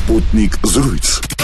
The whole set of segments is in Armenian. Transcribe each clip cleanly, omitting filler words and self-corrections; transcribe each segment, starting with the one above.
Sputnik զրույց։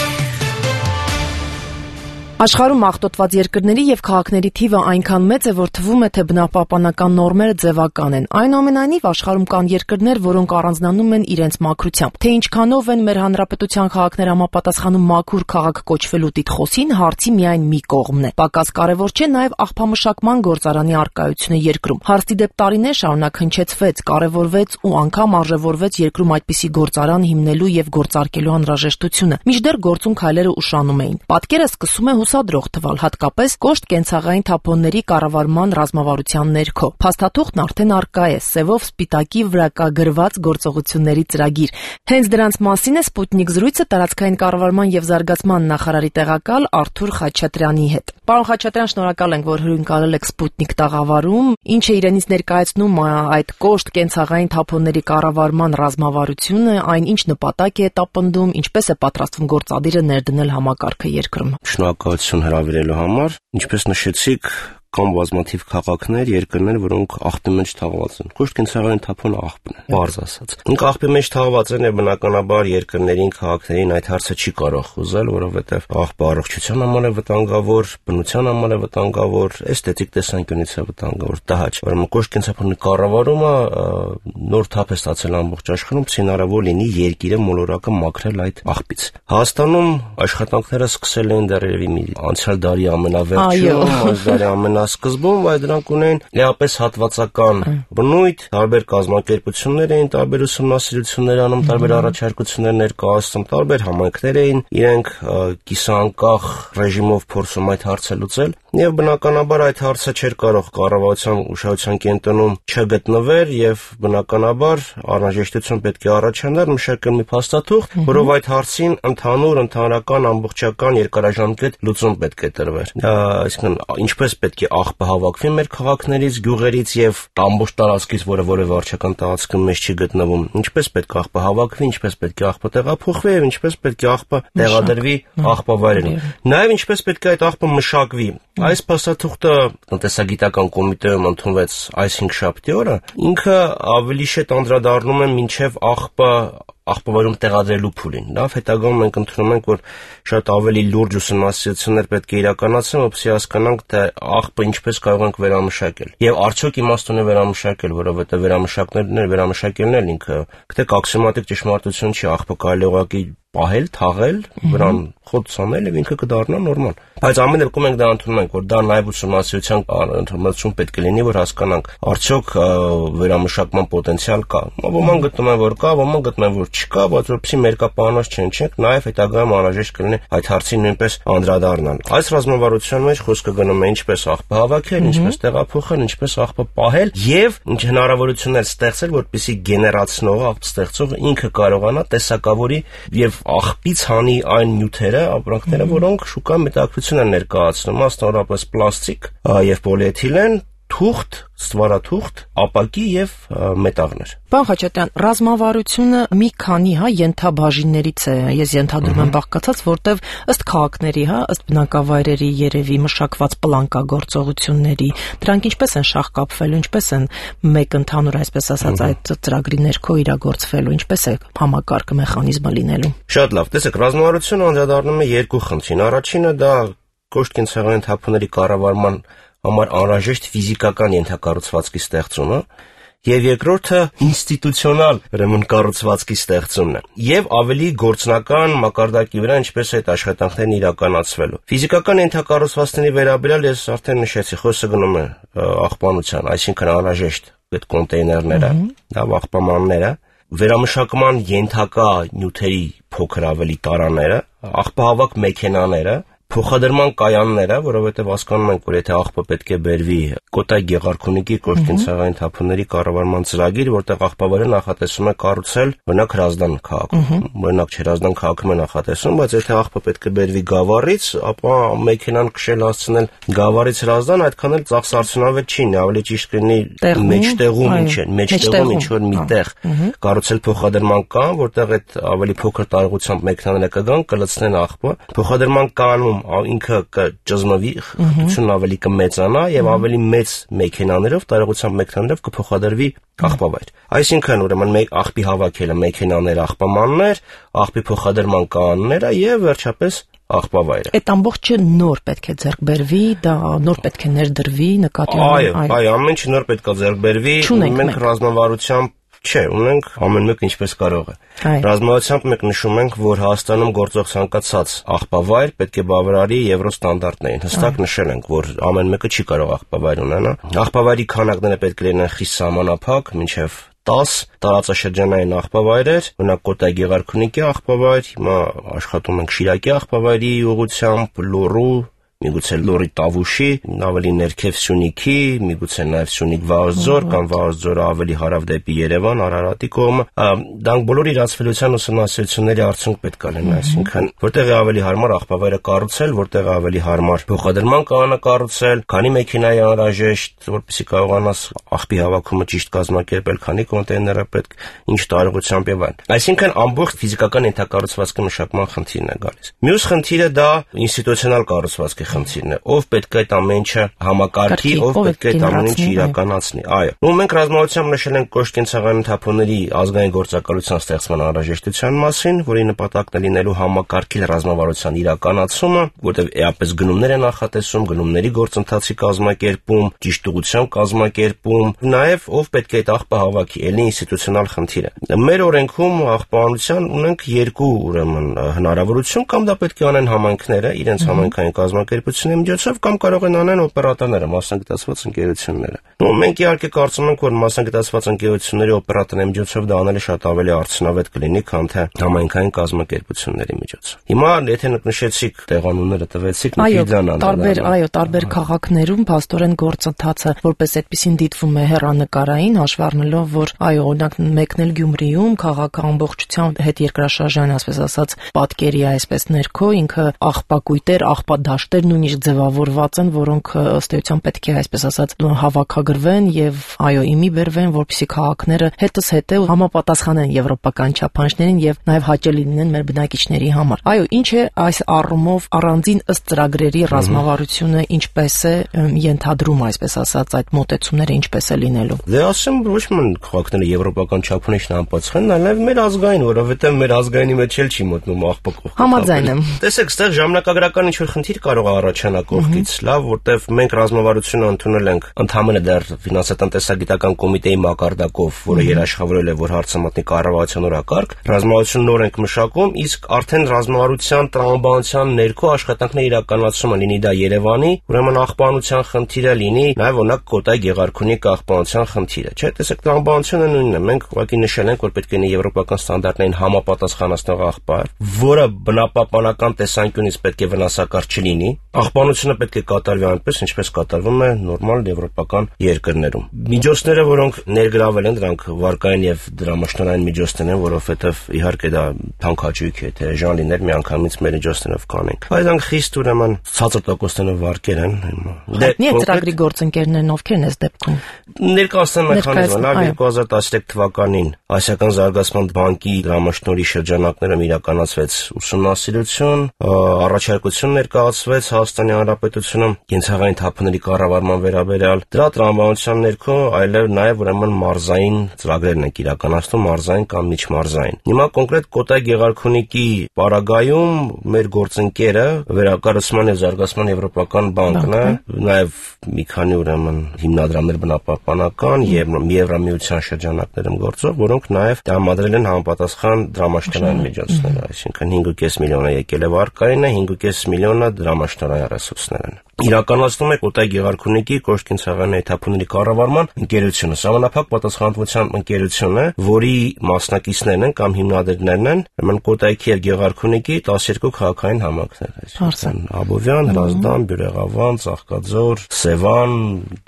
Աշխարհում աղտոտված երկրների եւ քաղաքների թիվը այնքան մեծ է, որ թվում է, թե բնապահպանական նորմերը ձևական են։ Այնուամենայնիվ, աշխարհում կան երկրներ, որոնք առանձնանում են իրենց մաքրությամբ։ Թե ինչքանով են մեր հանրապետության քաղաքները համապատասխանում մաքուր քաղաք կոչվելու տիտղոսին, հարցի միայն մի կողմն է։ Պակաս կարևոր չէ նաեւ աղբամշակման գործարանի առկայությունը երկրում։ Հարցի դեպ տարիներ շարունակ հնչեցվեց, կարևորվեց ու անգամ արժևորվեց երկրում այդպիսի գործարան հիմնելու եւ գործարկելու անհրաժեշտությունը։ Մինչդեռ գործուն քայլերը ուշանում էին։ Պատկերը սկսում է հուսադրող թվալ, հատկապես կոշտ կենցաղային թափոնների կառավարման ռազմավարության ներքո։ Փաստաթուղթն արդեն առկա է, սևով սպիտակի վրա կա գրված գործողությունների ծրագիր։ Հենց դրանց մասին է Sputnik զրույցը տարածքային կառավարման եւ զարգացման նախարարի տեղակալ Արթուր Խաչատրյանի հետ։ Պարոն Խաչատրյան, շնորհակալ ենք, որ հյուրընկալել եք Sputnik տաղավարում։ Ինչ է իրենից ներկայացնում այդ կոշտ կենցաղային թափոնների կառավարման ռազմավարությունը, այն ինչ նպատակ է տապնդում, ինչպես է պատրաստվում գործադիրը ներդնել համակարգը երկրում։ Շնորհակալություն հրավիրելու համար, ինչպես նշեցիք, կան բազմաթիվ քաղաքներ, երկրներ, որոնք աղբի մեջ թաղված են։ Կոշտ կենցաղային թափոնը աղբն է, բարձ ասած։ Ինք աղբի մեջ թաղված են եւ բնականաբար երկրներին, քաղաքներին այդ հարցը չի կարող խոզել, որովհետեւ աղբը առողջության համար է վտանգավոր, բնության համար է վտանգավոր, էսթետիկ տեսանկյունից է վտանգավոր, տհաճ։ Ուրեմն կոշտ կենցաղային կառավարումը նոր թափ է ստացել ամբողջ աշխարհում, հնարավոր լինի երկիրը մոլորակը մաքրել այդ աղբից։ Հայաստանում աշխատանքները սկսել են դեռևս անցյալ դարի ամենավերջում, այս դարի սկզբում, բայց դրանք ունեն լիապես հատվածական բնույթ, տարբեր կազմակերպություններ էին, տարբեր ուսումնասիրություններ անում, տարբեր առաջարկություններ ներկայացնում, տարբեր համայնքներ էին, իրենք կիսանկախ ռեժիմով փորձում այդ հարցը լուծել, եւ բնականաբար այդ հարցը չէր կարող կառավարության ուշադրության կենտրոնում չգտնվեր եւ բնականաբար անհրաժեշտություն պետք է առաջանար մշակել մի փաստաթուղթ, որով այդ հարցին ընդհանրական ամբողջական երկարաժամկետ լուծում պետք է տրվեր։ Այսինքն ինչպես պետք է աղբը հավաքվի մեր քաղաքներից, գյուղերից եւ ամբողջ տարածքից, որը որևէ վարչական տարածքում մեջ չի գտնվում, ինչպես պետք է աղբը հավաքվի, ինչպես պետք է աղբը տեղափոխվի եւ ինչպես պետք է աղբը տեղադրվի աղբավայրերում։ Նաեւ ինչպես պետք է այդ աղբը մշակվի։ Այս փաստաթուղթը տնտեսագիտական կոմիտեում ընդունվեց այս 5 շաբթի օրը, ինքը ավելի շետ անդրադառնում է մինչև աղբավայրում տեղադրելու փուլին, լավ, հետագայում մենք ընդունում ենք, որ շատ ավելի լուրջ ուսումնասիրություններ պետք է իրականացվեն, որպեսզի հասկանանք, թե աղբը ինչպես կարող ենք վերամշակել։ Եվ արդյոք իմաստուն է վերամշակել, որովհետև վերամշակելն էլ ինքը գտեք ակսիոմատիկ ճշմարտություն չի, աղբը կարելի է ուղղակի պահել, թաղել, վրան խոտ ցանել եւ ինքը կդառնա նորմալ։ Բայց ամեն դեպքում մենք դա ընդունում ենք, որ դա նաեւ ուսումնասիրության ընդհանրություն պետք է լինի, որ հասկանանք արդյոք վերամշակման պոտենցիալ կա։ Ոմանք գտնում են, որ կա, ոմանք գտնում են, որ չկա, բայց որպեսզի մերկապահանջ չենք, նաեւ հետագայում անհրաժեշտ կլինի այդ հարցին նույնպես անդրադառնալ։ Այս ռազմավարության մեջ խոսքը գնում է ինչպես աղբը հավաքել, ինչպես տեղափոխել, ինչպես աղբը պահել եւ ինչ հնարավորություններ ստեղծել, որպեսզի գեներացնողը, աղբ ստեղծողը ինքը կարողանա տեսակավորի եւ աղբից հանի այն նյութերը, ապրանքները, որոնք շուկայում մետաքրություն են ներկայացնում, մասնավորապես պլաստիկ եւ պոլիէթիլեն, թուղթ, ստվարաթուղթ, ապակի եւ մետաղներ։ Պարոն Խաչատրյան, ռազմավարությունը մի քանի ենթաբաժիններից է, ես ենթադրում եմ բաղկացած, որտեղ ըստ քաղաքների, ըստ բնակավայրերի երևի մշակված պլանկագործողությունների, դրանք ինչպես են շահկապվելու, ինչպես են մեկ ընդհանուր, այսպես ասած, այդ ծրագրի ներքո իրագործվելու, ինչպես է համակարգը մեխանիզմը լինելու։ Շատ լավ, տեսեք, ռազմավարությունը անդրադառնում է երկու խնդրին։ Առաջինը դա կոշտ կենցաղային թափոնների կառավարման համար անհրաժեշտ ֆիզիկական ենթակառուցվածքի ստեղծումը եւ երկրորդը ինստիտուցիոնալ ուրեմն կառուցվածքի ստեղծումն է եւ ավելի գործնական մակարդակի վրա ինչպես այդ աշխատանքներն իրականացվելու։ Ֆիզիկական ենթակառուցվածքների վերաբերյալ ես արդեն նշեցի, խոսքը գնում է աղբանության, այսինքն անհրաժեշտ այդ կոնտեյներները, լավ աղբամանները, վերամշակման ենթակա նյութերի փոքր ավելի տարաները, աղբահավաք մեքենաները, փոխադրման կայանները, որովհետև հասկանում ենք, որ եթե աղբը պետք է բերվի Կոտայ Գեղարքունիքի կոշտ կենցաղային թափոնների կառավարման ծրագիր, որտեղ աղբավայրը նախատեսում է կառուցել օրինակ Հրազդան քաղաքում, օրինակ Հրազդան քաղաքում է նախատեսում, բայց եթե աղբը պետք է բերվի Գավառից, ապա մեքենան քշել հասցնել Գավառից Հրազդան այդքան էլ ծախսարդյունավետ չի, ավելի ճիշտ կլինի մեջտեղում ինչ որ միտեղ կառուցել փոխադրման կան, որտեղ այդ ավելի փոքր տարողությամբ մեքենաները կգան, կլցնեն աղբը, փոխադրման կանում ինքը կճզմվի, խտությունն ավելի կմեծանա եւ ավելի մեծ մեքենաներով, տարողությամբ մեքենաներով կփոխադրվի աղբավայր։ Այսինքն ուրեմն մեկ աղբի հավաքելը մեքենաներ, աղբամաններ, աղբի փոխադրման կանոնները եւ վերջապես աղբավայրը։ Այդ ամբողջը նոր պետք է ձեռք բերվի, դա նոր պետք է ներդրվի, նկատի ունենալով։ Այո, ամեն ինչ նոր պետք է ձեռք բերվի, մենք ռազմավարությամբ չէ, ունենք ամեն մեկը ինչպես կարող է։ Ռազմավարությամբ մենք նշում ենք, որ Հայաստանում գործող ցանկացած աղբավայր պետք է բավարարի եվրոստանդարտներին։ Հստակ նշել ենք, որ ամեն մեկը չի կարող աղբավայր ունենալ։ Աղբավայրի քանակները պետք է լինեն խիստ սահմանափակ, մինչև 10 տարածաշրջանային աղբավայրեր, օրինակ Կոտայի Գեղարքունիքի աղբավայր, հիմա աշխատում ենք Շիրակի աղբավայրի ուղղությամբ, Լոռու, միգուցե Լոռի Տավուշի, ավելի ներքև Սյունիքի, միգուցե նաև Սյունիք Վաղարձոր կամ Վաղարձորը ավելի հարավ դեպի Երևան, Արարատի կողմը, դրանք բոլոր իրացվելիության ուսումնասիրությունների արդյունք պետք է լինեն, այսինքն որտեղ է ավելի հարմար աղբավայրը կառուցել, որտեղ է ավելի հարմար փոխադրման կանոնը կառուցել, քանի մեքենա է անհրաժեշտ, որպեսզի կարողանաս աղբի հավաքումը ճիշտ կազմակերպել, քանի կոնտեյներ է պետք, ինչ տարողությամբ եւ այլն։ Այսինքն ամբողջ ֆիզիկական ենթակառուցվածքի մշակման խնդիրն է գալիս։ Մյուս խնդիրը դա ինստիտուցիոնալ կառուցվածքի խնդիրն է, ով պետք է այդ ամեն ինչը համակարգի, ով պետք է այդ ամեն ինչը իրականացնի։ Այո։ Մենք ռազմավարությամբ նշել ենք կոշկենցաղային թափոնների ազգային գործակալության ստեղծման անհրաժեշտության մասին, որի նպատակն է լինելու համակարգել ռազմավարության իրականացումը, որտեղ էապես գնումներ են նախատեսում, գնումների գործընթացի կազմակերպում, ճիշտ ուղղությամբ կազմակերպում, նաև ով պետք է այդ աղբը հավաքի, ելնի ինստիտուցիոնալ խնդիրը։ Մեր օրենքում աղբանության ունենք երկու ուրեմն հնարավորություն, կամ դա պետք է անեն համայնքները իրենց համայնքային կազմակերպությունների միջոցով, կամ կարող են անեն օպերատորները, մասնագիտացված ընկերությունները։ Մենք իհարկե կարծում ենք, որ մասնագիտացված ընկերությունների օպերատորների միջոցով դա անելը շատ ավելի արդյունավետ կլինի, քան թե համայնքային կազմակերպությունների միջոցով։ Հիմա եթե նշեցիք տեղանունները տվեցիք, տարբեր քաղաքներում փաստորեն գործընթացը որպես այդպեսին դիտվում է հեռանկարային, հաշվի առնելով, որ օրինակ մեկն էլ Գյումրիում քաղաքը ամբողջությամբ հետ երկրաշարժային, ասես ասած, պատկերի է այսպես ներքո, ինքը աղբակույտեր, աղբադաշտեր նույնիսկ ձևավորված են, որոնք ըստ էության պետք է այսպես ասած հավաքագրվեն եւ իմի բերվեն, որպեսզի քաղաքները հետս հետե համապատասխանեն եվրոպական չափանիշներին եւ նաեւ հաճելի լինեն մեր բնակիչների համար։ Ինչ է այս առումով առանձին ըստ ծրագրերի ռազմավարությունը ինչպես է ենթադրում, այսպես ասած, այդ մոտեցումները ինչպես է լինելու։ Դե ասեմ, ոչ ման քաղաքները եվրոպական չափանիշն անպատասխան, այլև մեր ազգային, որովհետեւ մեր ազգայինի մեջ էլ չի մտնում աղբակող։ Համաձայն եմ։ Տեսեք, այստեղ ժամանակագրական ինչ-որ խնդիր կարող է առաջանալ կողքից, լավ, որտեվ մենք ռազմավարությունը ընդունել ենք ընդհանրապես դեռ ֆինանսատնտեսագիտական կոմիտեի մակարդակով, որը երաշխավորել է, որ հարցը մտնի կառավարության օրակարգ, ռազմավարությունը նոր ենք մշակում, իսկ արդեն ռազմավարության տրամաբանության ներքո աշխատանքներ իրականացումը լինի դա Երևանի, ուրեմն աղբանության խնդիրը լինի, նաև օրինակ Կոտայի Գեղարքունիքի աղբանության խնդիրը, չէ՞, տեսեք, տրամաբանությունը նույնն է, մենք ուղղակի նշել ենք, որ պետք է լինի եվրոպական ստանդարտներին համապատասխանացնող աղբայր, որը բնապահպանական տեսանկյունից պետք է վնասակար չլինի, աղբանությունը պետք է կատարվի այնպես, ինչպես կատարվում է նորմալ եվրոպական երկրներում։ Միջոցները, որոնք ներգրավել են, դրանք վարկային եւ դրամաշնորհային միջոցներ են, որովհետեւ իհարկե դա թանկաճույք է, թե ժան լիներ միանգամից մեր միջոցներով կանենք։ Բայց դրանք խիստ ուրեմն ցածր տոկոսներով վարկեր են։ Դե ծրագրի գործընկերներն ովքեր են այս դեպքում։ Ներկայացնեն մեխանիզմը 2013 թվականին Ասիական զարգացման բանկի դրամաշնորհի շրջանակներում իրականացվեց ուսումնասիրություն, առաջարկություն ներկայացվեց Հայաստանի Հանրապետությունում կենցաղային թափոնների կառավարման վերաբերյալ։ Դրա տրամաբանության ներքո այլև նաև ուրեմն մարզային ծրագրերն են իրականացնում, մարզային կամ միջմարզային։ Հիմա կոնկրետ Կոտայի Գեղարքունիքի պարագայում մեր գործընկերը Վերակառուցման եւ Զարգացման Եվրոպական բանկն է, նաև մի քանի ուրեմն հիմնադրամներ բնապահպանական եւ Եվրամիության շրջանակներում գործող, որոնք նաև տրամադրել են համապատասխան դրամաշնորհային միջոցներ, այսինքն 5.5 միլիոն է եկել է վարկայինը, 5.5 միլիոնը դրամաշնորհային ռեսուրսներ են։ Իրականացնում է Կոտայի Գեղարքունիքի կոշկենցաղային թափոնների կառավարման ընկերությունը, սահմանափակ պատասխանատվությամբ ընկերությունը, որի մասնակիցներն են կամ հիմնադիրներն են, ուրեմն Կոտայի եւ Գեղարքունիքի 12 քաղաքային համայնքներ, այսինքն Աբովյան, Հրազդան, Բյուրեղավան, Ծաղկաձոր, Սևան,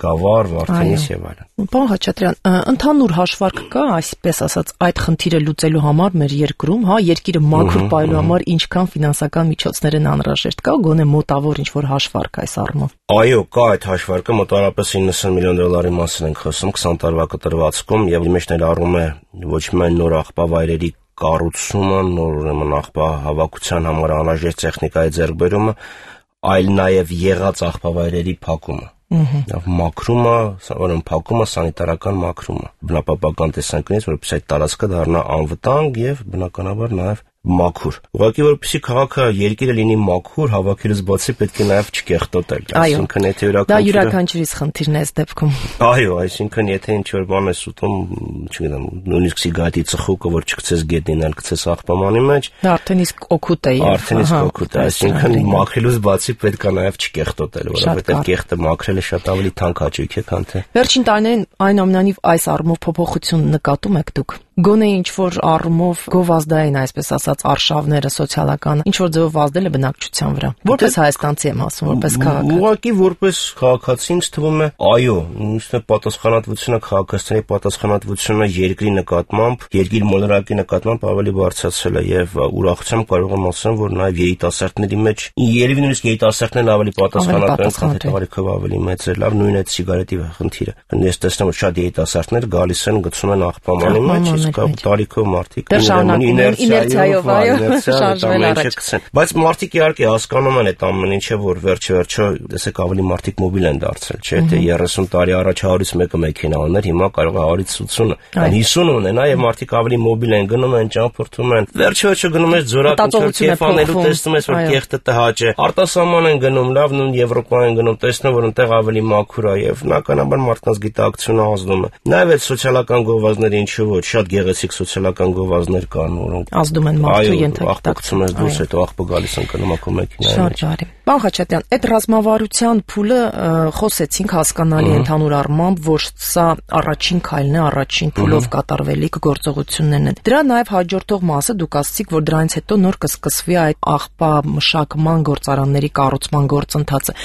Գավառ, Վարդենիս եւ այլն։ Պարոն Խաչատրյան, ընդհանուր հաշվարկ կա, այսպես ասած, այդ խնդիրը լուծելու համար մեր երկրում, երկիրը մաքուր պահելու համար ինչքան ֆինանսական միջոցներ են անհրաժեշտ, կա գոնե մոտավոր ինչ-որ հաշվարկ այս առումով։ Այո, կա այդ հաշվարկը, մոտավորապես 90 միլիոն դոլարի մասին ենք խոսում 20 տարվա կտրվածքում եւ մեջ ներառում է ոչ միայն նոր աղբավայրերի կառուցումը, նոր ուրեմն աղբահավաքության համար անհրաժեշտ տեխնիկայի ձեռքբերումը, այլ նաև եղած աղբավայրերի փակումը։ Մաքրումը, սովորաբար փակումը, սանիտարական մաքրումը, բնապահպանական տեսանկյունից, որպեսզի այդ տարածքը դառնա անվտանգ եւ բնականաբար նաև մաքուր։ Ուղղակի որպեսզի քաղաքը երկիրը լինի մաքուր, հավաքելուց բացի պետք է նաև չկեղտոտել։ Այսինքն եթե դա յուրաքանչյուրիս խնդիրն է այս դեպքում։ Այո, այսինքն եթե ինչ-որ բան ես ուտում, չգիտեմ, նույնիսկ սիգարետի ծխուկը, որ չգցես գետնին, այլ գցես աղբամանի մեջ, դա արդեն իսկ օգուտ է։ Արդեն իսկ օգուտ է, այսինքն մաքրելուց բացի պետք է նաև չկեղտոտել, որովհետև կեղտը մաքրելը շատ ավելի թանկ հաճույք է, քան թե։ Վերջին տարիներին այնուամենայնիվ այս առումով փոփոխություն նկատում եք դուք։ Գոնե ինչ-որ առումով գովազդային, այսպես ասած, արշավները սոցիալական ինչ-որ ձևով ազդել է բնակչության վրա։ Որպես հայաստանցի եմ ասում, որպես քաղաք։ Ուղղակի որպես քաղաքացի ինձ թվում է, այո, նույնիսկ պատասխանատվությունը, քաղաքացիների պատասխանատվությունը երկրի նկատմամբ, երկիր մոլորակի նկատմամբ ավելի բարձրացել է եւ ուրախությամբ կարող եմ ասել, որ նաեւ երիտասարդների մեջ երևի նույնիսկ երիտասարդներն ավելի պատասխանատու են, քան տարիքով ավելի մեծ է։ Լավ, նույն այդ սիգարետի խնդիրը։ Ես տեսնում եմ շատ երիտասարդներ գալիս են, գցում են աղբամանի մեջ, տարիքով մարդիկ իներցիայով շարժվել առաջ։ Բայց մարդիկ իհարկե հասկանում են այդ ամեն ինչը, որ վերջ-վերջո տեսեք ավելի մարդիկ մոբիլ են դարձել, չէ՞, թե 30 տարի առաջ 100-ից մեկը մեքենա ուներ, հիմա կարող է 100-ից 80, 50 ունենա եւ մարդիկ ավելի մոբիլ են գնում են, ճամփորդում են։ Վերջ-վերջո գնում ես ձորակը կեֆանելու, տեսնում ես, որ կեղտը տհաճ է։ Արտասահման են գնում, լավ, նույն Եվրոպա են գնում, տեսնում որ այնտեղ ավելի մաքուր է եւ բնականաբար մարդկանց գիտակցությունը ազդում է։ Նաեւ այդ սոցիալական գովազդները ինչու ոչ շատ գեղեցիկ սոցիալական գովազդներ կան, որոնք ազդում են մարդու ենթակացում ես դուրս հետո աղբը գալիս են կնում ակո մեքենայի մեջ։ Շատ բարի։ Պարոն Խաչատրյան, այդ ռազմավարության փուլը խոսեցինք հասկանալի ընդհանուր առմամբ, որ սա առաջին քայլն է, առաջին փուլով կատարվելիք գործողություններն են։ Դրա նաև հաջորդող մասը դուք ասացիք, որ դրանից հետո նոր կսկսվի այդ աղբամշակման գործարանների կառուցման գործընթացը։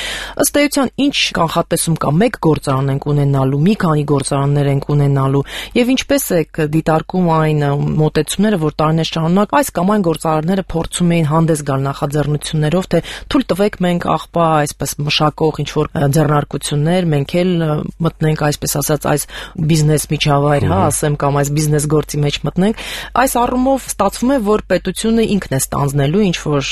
Ըստ էության, ինչ կանխատեսում կա, մեկ գործարան ենք ունենալու, մի քանի գործարաններ ենք ունենալու, եւ ինչպես է դիտարկում այն մոտեցումները, որ տարիներ շարունակ այս կամ այն գործարանները փորձում էին հանդես գալ նախաձեռնություններով, թե թույլ տվեք մենք աղբա այսպես մշակող ինչ-որ ձեռնարկություններ, մենք էլ մտնենք այսպես ասած այս բիզնես միջավայր, ասեմ, կամ այս բիզնես գործի մեջ մտնենք։ Այս առումով ստացվում է, որ պետությունը ինքն է ստանձնելու ինչ-որ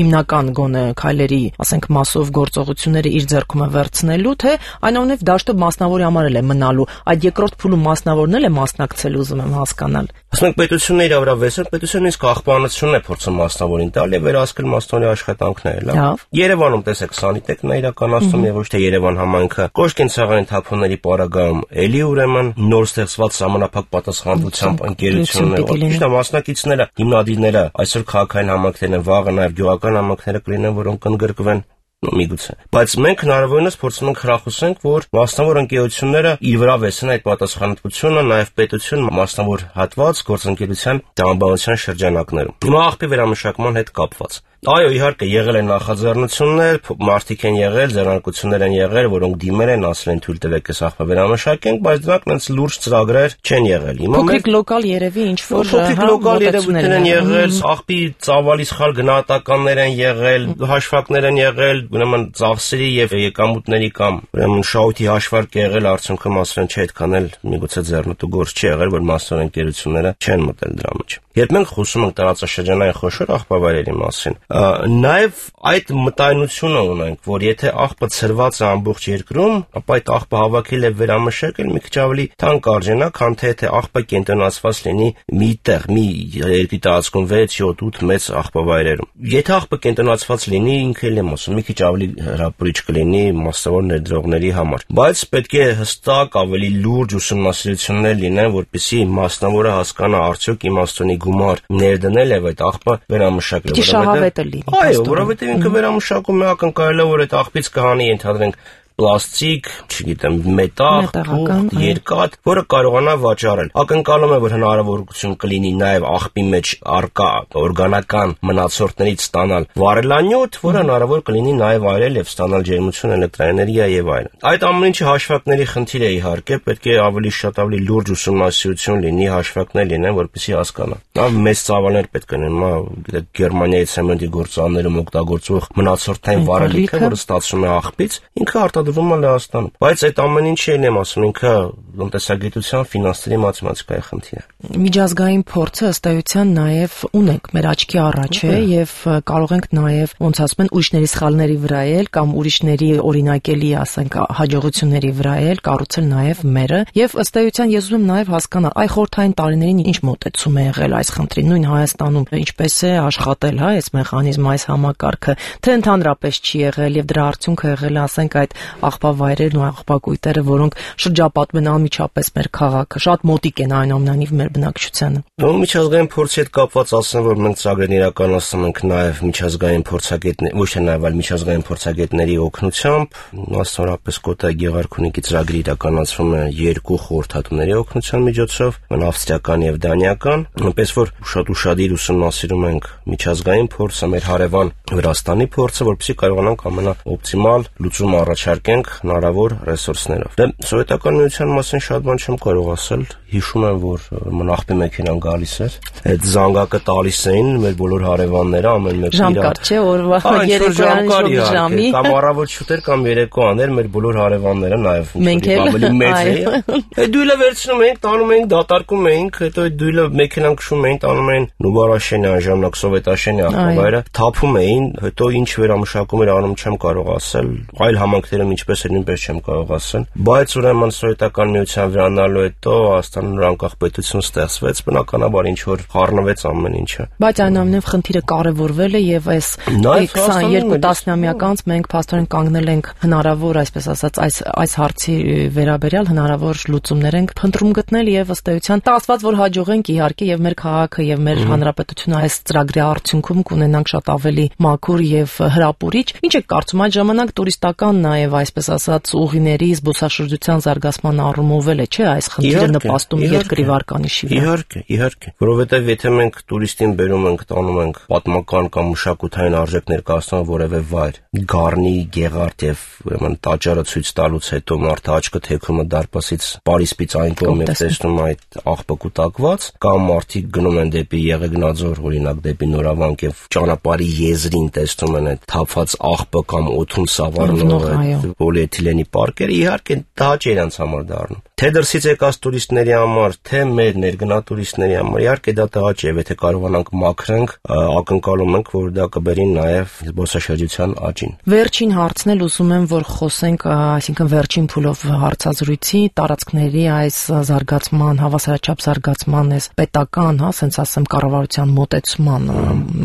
հիմնական գոնե քայլերի, ասենք, մասով գործողությունները իր ձեռքում է վերցնելու, թե այնուամենայնիվ դաշտը մասնավորի համար է մնալու։ Այդ երկրորդ փուլում մասնավորն է մասնակցել, ուզում եմ հասկանալ։ Ասենք պետությունը իր վրա վեսել, պետությունը իսկ աղբանությունն է փորձում մասնավորին տալ եւ վերահսկել մասնավորի աշխատանքները, լավ։ Երևանում տեսեք սանիտեկն է իրականացնում եւ ոչ թե Երևան համայնքը։ Կոշկենցաղային թափոնների պարագայում էլի ուրեմն նոր ստեղծված ժամանակ պատասխանատվությամբ ընկերությունները, ճիշտ է, մասնակիցները, հիմնադիրները, այսօր քաղաքային համայնքներն են, վաղը նաեւ գյուղական համայնքները կլինեն, որոնք կընդգրկվեն միգուցե։ Բայց մենք հնարավորինս փորձում ենք խրախուսենք, որ մասնավոր ընկերությունները իր վրա վեսեն այդ պատասխանատվությունը, նաև պետություն մասնավոր հատված գործընկերության տրամաբանության շրջանակներում։ Հիմա աղբի վերամշակման հետ կապված։ Այո, իհարկե, եղել են նախաձեռնություններ, մարդիկ են եղել, ձեռնարկություններ են եղել, որոնք դիմել են, ասել են թույլ տվեք այս աղբը վերամշակենք, բայց դրանք այնց լուրջ ծրագրեր չեն եղել։ Հիմա փոքրիկ լոկալ երևի ինչ-որ փոքրիկ լոկալ երևույթներ են եղել, աղբի ծավալի սխալ գնահատականներ են եղել, հաշվարկներ են եղել, ուրեմն ծախսերի եւ եկամուտների կամ ուրեմն շահույթի հաշվարկ եղել, արդյունքում ասել են չէ, այդքան էլ միգուցե ձեռնտու գործ չի եղել, որ մասնավոր ընկերությունները չեն մտել դրա մեջ։ Երբ մենք խոսում ենք տարածաշրջանային խոշոր աղբավայրերի մասին, նաև այդ մտայնությունը ունենք, որ եթե աղբը ծրված է ամբողջ երկրում, ապա այդ աղբը հավաքել եւ վերամշակել մի քիչ ավելի թանկ արժենա, քան թե աղբը կենտրոնացված լինի մի տեղ, մի երկրի տարածքում 6, 7, 8 մեծ աղբավայրերում։ Եթե աղբը կենտրոնացված լինի, ինքը էլ եմ ասում, մի քիչ ավելի հրապուրիչ կլինի մասնավոր ներդրողների համար։ Բայց պետք է հստակ ավելի լուրջ ուսումնասիրություններ լինեն, որպեսզի մասնավորը հասկանա արդյոք իմաստունի գումար ներդնել եւ այդ աղբը վերամշակել։ Այո, որովհետեւ ինքը վերամշակում է, ակնկալել է, որ այդ աղբից կհանի, ենթադրենք, պլաստիկ, չգիտեմ, մետաղ, թուղթ, երկաթ, որը կարողանա վաճառել։ Ակնկալում է, որ հնարավորություն կլինի նաև աղբի մեջ առկա օրգանական մնացորդներից ստանալ վառելանյութ, որը հնարավոր կլինի նաև այրել եւ ստանալ ջերմություն, էլեկտրաէներգիա եւ այլն։ Այդ ամեն ինչը հաշվարկների խնդիր է իհարկե, պետք է ավելի շատ ավելի լուրջ ուսումնասիրություն լինի, հաշվարկներ լինեն, որպեսզի հասկանա։ Նա մեծ ծավալներ պետք է լինեն, գիտեք, Գերմանիայի ցեմենտի գործարաններում օգտագործվող մնացորդային վառելիքը, որը ստացվում է աղբից, ինքը դրվում է Լեհաստանում։ Բայց այդ ամեն ինչը եմ ասում, ինքը տնտեսագիտության, ֆինանսների, մաթեմատիկայի խնդիր է։ Միջազգային փորձը ըստ էության նաև ունենք մեր աչքի առաջ է եւ կարող ենք նաև ոնց ասում են ուրիշների սխալների վրա էլ կամ ուրիշների օրինակելի, ասենք, հաջողությունների վրա էլ կառուցել նաև մերը եւ ըստ էության ես ուզում եմ նաև հասկանալ այ խորհրդային տարիներին ինչ մոտեցում է եղել այս խնդրին, նույն Հայաստանում ինչպես է աշխատել, հա, այս մեխանիզմը, այս համակարգը, թե ընդհանրապես չի եղել եւ դրա արդյունքը եղել է, ասենք, այդ աղբավայրերն ու աղբակույտերը, որոնք շրջապատում են անմիջապես մեր քաղաքը, շատ մոտիկ են այնուամենայնիվ մեր բնակչությանը։ Միջազգային փորձի հետ կապված ասեմ, որ մենք ծրագրեր իրականացնում ենք նաև միջազգային փորձագետներ, ոչ թե նաև, այլ միջազգային փորձագետների օգնությամբ, մասնավորապես Կոտայի Գեղարքունիքի ծրագրի իրականացվում է 2 խորհրդատուների օգնության միջոցով, ավստրիական եւ դանիական, այնպես որ շատ ուշադիր ուսումնասիրում ենք միջազգային փորձը, մեր հարևան Վրաստանի փորձը, որպեսզի կարողանանք ամենաօպտիմալ լուծում առաջարկենք հնարավոր ռեսուրսներով։ Դե սովետական միության մասին շատ բան չեմ կարող ասել, հիշում եմ, որ աղբի մեքենան գալիս էր, այդ զանգակը տալիս էին մեր բոլոր հարևանները, ամեն մեկը իր ժամկար չէ, օրվա երեկոյան ժամի, կամ առավոտ շուտեր կամ երեկոաներ մեր բոլոր հարևանները նաև ավելի մեծ էին։ Այդ դույլը վերցնում էինք, տանում էինք, դատարկում էինք, հետո այդ դույլը մեքենան քշում էին, տանում էին Նուբարաշենյան ժամանակ Սովետաշենի աղբավայրը, թափում էին, հետո ինչ վերամշակում էր անում չեմ կարող ասել, այլ համանքներում ինչպես էր նույնպես չեմ կարող ասել, բայց ուրեմն Սովետական միության վերանալու հետո Հայաստանում անկախ պետություն ստեղծվեց, բնականաբար ինչ որ խառնվեց ամեն ինչը։ Բայց այնուամենայնիվ խնդիրը կարևորվել է եւ այս 22 տասնամյակ անց մենք փաստորեն կանգնել ենք հնարավոր, այսպես ասած, այս հարցի վերաբերյալ հնարավոր լուծումներ ենք փնտրում գտնել եւ ըստ էության տասված որ հաջողենք իհարկե եւ մեր քաղաքը եւ մեր հանրապետությունը այս ծրագրի արդյունքում կունենանք շատ ավելի մաքուր եւ հրապուրիչ։ Ինչ եք կարծում այդ ժամանակ տուրիստական նաեւ այսպես ասած ուղիների զբոսաշրջության զարգացման առումով էլ է, չէ՞, այս խնդիրը նպաստում երկրի վարկանիշի վրա։ Իհարկե, որովհետեւ եթե մենք տուրիստին բերում ենք, տանում ենք պատմական կամ մշակութային արժեք ներկայացնող որևէ վայր, Գառնի, Գեղարդ եւ ուրեմն տաճարը ցույց տալուց հետո մարդը աչքը թեքում է դարպասից Պարիսպից այն կողմ է տեսնում այդ աղբը կուտակված, կամ մարդիկ գնում են դեպի Եղեգնաձոր, օրինակ դեպի Նորավանք եւ ճանապարհի եզրին տեսնում են այդ թափված աղբը կամ օդում սավառնող պոլիէթիլենի պարկերը, իհարկե դա չէ իրանց համար դառնում։ Թե դրսից եկած տուրիստների համար, թե մեր ներգնա տուրիստների համար, իհարկե դա տղա չէ, եթե կարողանանք մաքրենք, ակնկալում ենք, որ դա կբերի նաև զբոսաշրջության աճին։ Վերջին հարցն էլ ուզում եմ, որ խոսենք, այսինքն վերջին փուլով հարցազրույցի տարածքների այս զարգացման, հավասարաչափ զարգացման, այս պետական, ասենց ասեմ, կառավարության մոտեցման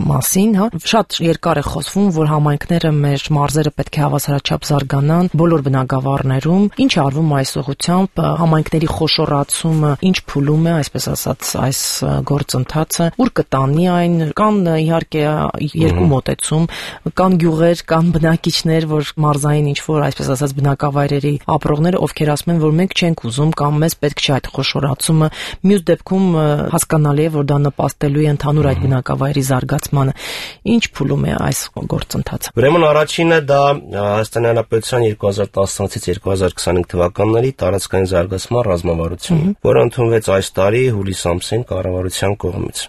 մասին, շատ երկար է խոսվում, որ համայնքները, մեր մարզերը պետք է հավասարաչափ զարգանան բոլոր բնակավարներում։ Ինչ արվում այս ուղղությամբ, համայնքների խոշորացումը ինչ փուլում է, այսպես ասած, այս գործընթացը, ուր կտանի այն, կան իհարկե երկու մոտեցում, կան գյուղեր, կան բնակիչներ, որ մարզային ինչ որ, այսպես ասած, բնակավայրերի ապրողները, ովքեր ասում են, որ մենք չենք ուզում կամ մեզ պետք չէ այդ խոշորացումը, մյուս դեպքում հասկանալի է, որ դա նպաստելու է ընդհանուր այդ բնակավայրի զարգացմանը։ Ինչ փուլում է այս գործընթացը։ Ուրեմն առաջինը դա Հայաստանի Հանրապետության 2016-ից 2025 թվականների տարածքային զարգացման ռազմավարությունն, որը ընդունվեց այս տարի հուլիս ամսին կառավարության կողմից։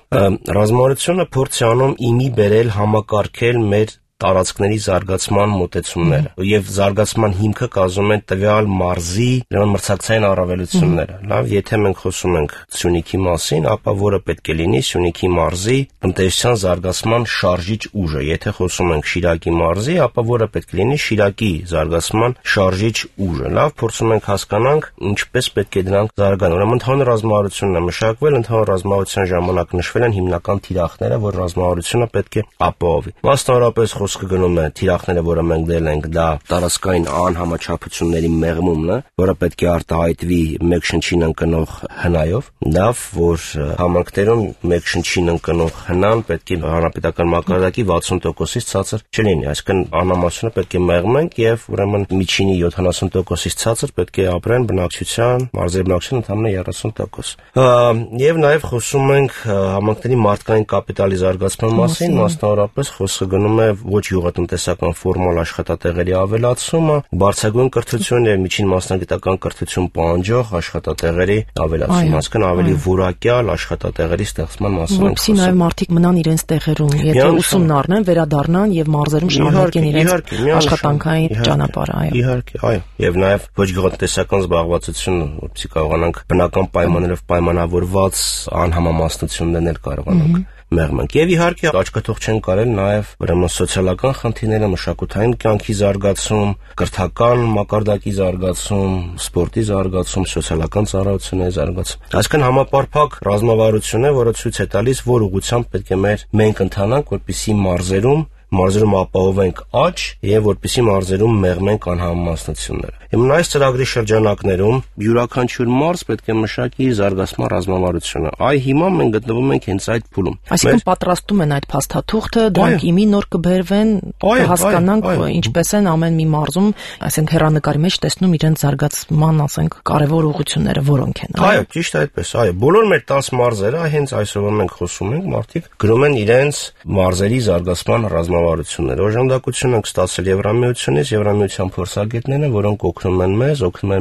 Ռազմավարությունը փորձ է անում իմի բերել համակարգել մեր տարածքների զարգացման մոտեցումները եւ զարգացման հիմքը կազմում են տվյալ մարզի մրցակցային առավելությունները։ Լավ, եթե մենք խոսում ենք Սյունիքի մասին, ապա որը պետք է լինի Սյունիքի մարզի տնտեսության զարգացման շարժիչ ուժը։ Եթե խոսում ենք Շիրակի մարզի, ապա որը պետք է լինի Շիրակի զարգացման շարժիչ ուժը։ Լավ, փորձում ենք հասկանանք ինչպես պետք է դրանք զարգանան։ Ուրեմն ընդհանուր ռազմավարությունն է մշակվել, ընդհանուր ռազմավարության ժամանակ նշվել են հիմնական թիրախները, որ ռազմավարությունը պետք է ապահովի։ Մասնավորապես խոսքը գնում է թիրախները, որը մենք դել ենք, դա տարածքային անհամաչափությունների մեղմումն է, որը պետք է արտահայտվի մեկ շնչին ընկնող հնայով։ Լավ, որ համայնքներում մեկ շնչին ընկնող հնան պետք է հանրապետական մակարդակի 60%-ից ցածր չլինի, այսինքն անհամացությունը պետք է մեղմենք եւ ուրեմն միջինի 70%-ից ցածր պետք է ապրեն բնակչության, մարզերի բնակչության ընդամենը 30%։ Եվ նաեւ խոսում ենք համայնքների մարդկային կապիտալի զարգացման մասին, մասնավորապես խոսքը գնում է ոչ ոչ գյուղատնտեսական ֆորմալ աշխատատեղերի ավելացումը, բարձրագույն կրթություն եւ միջին մասնագիտական կրթություն պահանջող աշխատատեղերի ավելացումը, այսինքն ավելի որակյալ աշխատատեղերի ստեղծման մասին ենք խոսում։ Որպեսզի նաեւ մարդիկ մնան իրենց տեղերում, եթե ուսումն առնեն, վերադառնան եւ մարզերում շարունակեն իրենց աշխատանքային ճանապարհը, այո։ Իհարկե, այո, եւ նաեւ ոչ գյուղատնտեսական զբաղվածություն, որպեսզի կարողանանք բնական պայմաններով պայմանավորված անհամամասնություններ կարողանանք մեղմենք։ Եվ իհարկե աչքաթող չեն կարել նաև ուրեմն սոցիալական խնդիրները, մշակութային կյանքի զարգացում, կրթական մակարդակի զարգացում, սպորտի զարգացում, սոցիալական ծառայությունների զարգացում։ Այսինքն համապարփակ ռազմավարություն է, որը ցույց է տալիս, որ ուղղությամբ պետք է մենք ընթանանք, որպեսզի մարզերում ապահովենք աճ եւ որպեսզի մարզերում մեղմենք անհամամասնությունները։ Հիմա այս ծրագրի շրջանակներում յուրաքանչյուր մարզ պետք է մշակի զարգացման ռազմավարությունը։ Այ հիմա մենք գտնվում ենք հենց այդ փուլում։ Այսինքն պատրաստում են այդ փաստաթուղթը, դրանք իմի նոր կբերվեն, հասկանանք ինչպես են ամեն մի մարզում, այսինքն հեռանկարի մեջ տեսնում իրենց զարգացման, ասենք, կարևոր ուղղությունները որոնք են։ Այո, ճիշտ է այդպես, այո։ Բոլոր մեր 10 մարզերը, հենց այսօր մենք խոսում ենք, մարդիկ գրում են իրենց մարզերի զարգացման ռազմավարությունները։ Օժանդակություն ենք ստացել Եվրամիությունից, Եվրամիության փորձագետները, որոնք օգնում են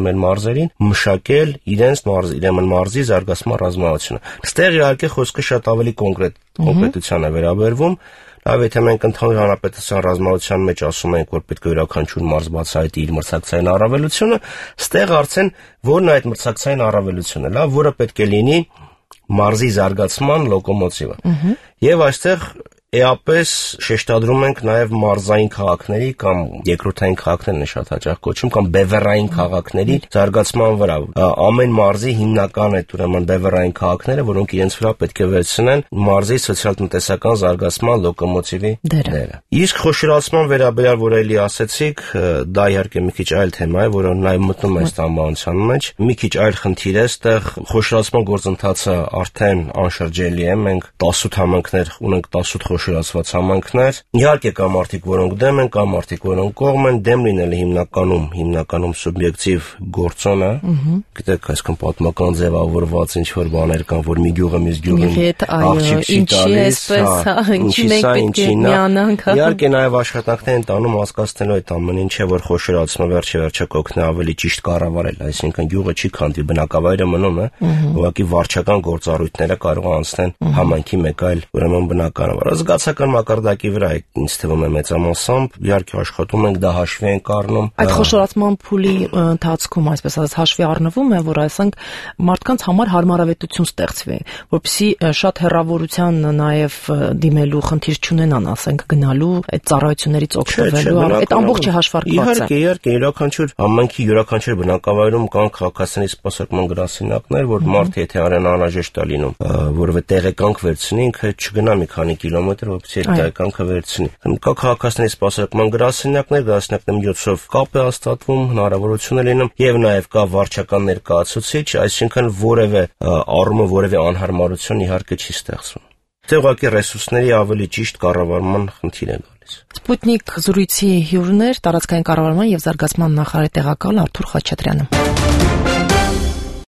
մեր մարզերին մշակել իրենց մարզի զարգացման ռազմավարությունը։ Այստեղ իհարկե խոսքը շատ ավելի կոնկրետության է վերաբերվում։ Լավ, եթե մենք ընդհանուր հանրապետության ռազմավարության մեջ ասում ենք, որ պետք է յուրաքանչյուր մարզ բացահայտի իր մրցակցային առավելությունը, ստեղ արդեն որն է այդ մրցակցային առավելությունը, լավ, որը պետք է լինի մարզի զարգացման լոկոմոտիվը։ Եվ այստեղ էապես շեշտադրում ենք նաև մարզային քաղաքների կամ երկրորդային քաղաքներն է շատ հաճախ կոչում կամ բևեռային քաղաքների զարգացման վրա։ Ամեն մարզի հիմնական է ուրեմն բևեռային քաղաքները, որոնք իրենց վրա պետք է վերցնեն մարզի սոցիալ-տնտեսական զարգացման լոկոմոտիվի դերը։ Իսկ խոշորացման վերաբերյալ, որ էլի ասեցիք, դա իհարկե մի քիչ այլ թեմա է, որը նաև մտնում է այս անվանության մեջ։ Մի քիչ այլ խնդիր է, այստեղ խոշորացման գործընթացը արդեն անշրջելի է։ Մենք 18 համայնքներ ունենք, 18 խոշորացված համայնքներ։ Իհարկե կա մարդիկ, որոնք դեմ են, կա մարդիկ, որոնք կողմ են, դեմ լինելը հիմնականում սուբյեկտիվ գործոն է։ Գիտեք, այսքան պատմական ձևավորված ինչ-որ բաներ կան, որ մի գյուղը մյուս գյուղին աղջիկ չի տալիս, ինչի միանանք։ Իհարկե նաև աշխատանքներ են տանում հասկացնելու այդ ամեն ինչը, որ խոշորացումը վերջը կօգնի ավելի ճիշտ կառավարել, այսինքն գյուղը չի քանդվի, բնակավայրը մնում է, ուղղակի վարչական գործառույթները կարող անցնեն համայնքի մեկ այլ ուրեմն բնակավայր։ Զգացական մակարդակի վրա է, ինձ թվում է մեծամասամբ, իհարկե աշխատում ենք, դա հաշվի ենք առնում։ Այդ խոշորացման փուլի ընթացքում, այսպես ասած, հաշվի առնվում է, որ այսինքն մարդկանց համար հարմարավետություն ստեղծվի, որպեսզի շատ հեռավորության նաև դիմելու խնդիր չունենան, ասենք, գնալու այդ ծառայություններից օգտվելու, այդ ամբողջը հաշվարկված է։ Իհարկե, յուրաքանչյուր համայնքի յուրաքանչյուր բնակավայրում կան քաղաքացիների սպասարկման գրասենյակներ, որ մարդը եթե անհրաժեշտ է լինում, որովհետեւ տեղեկանք վերցնի, ինքը չգնա մի քանի կիլոմետր, որպեսզի այդ տեղեկանքը վերցնի։ Կա քաղաքացիների սպասարկման գրասենյակների միջոցով կապ է հաստատվում, հնարավորություն է լինում, եւ նաեւ կա վարչական ներկայացուցիչ, այսինքն որևէ առումով որևէ անհարմարություն իհարկե չի ստեղծվում։ Դե ուղղակի ռեսուրսների ավելի ճիշտ կառավարման խնդիր է գալիս։ Սպուտնիկ զրույցի հյուրներ տարածքային կառավարման եւ զարգացման նախարարի տեղակալ Արթուր Խաչատրյանը։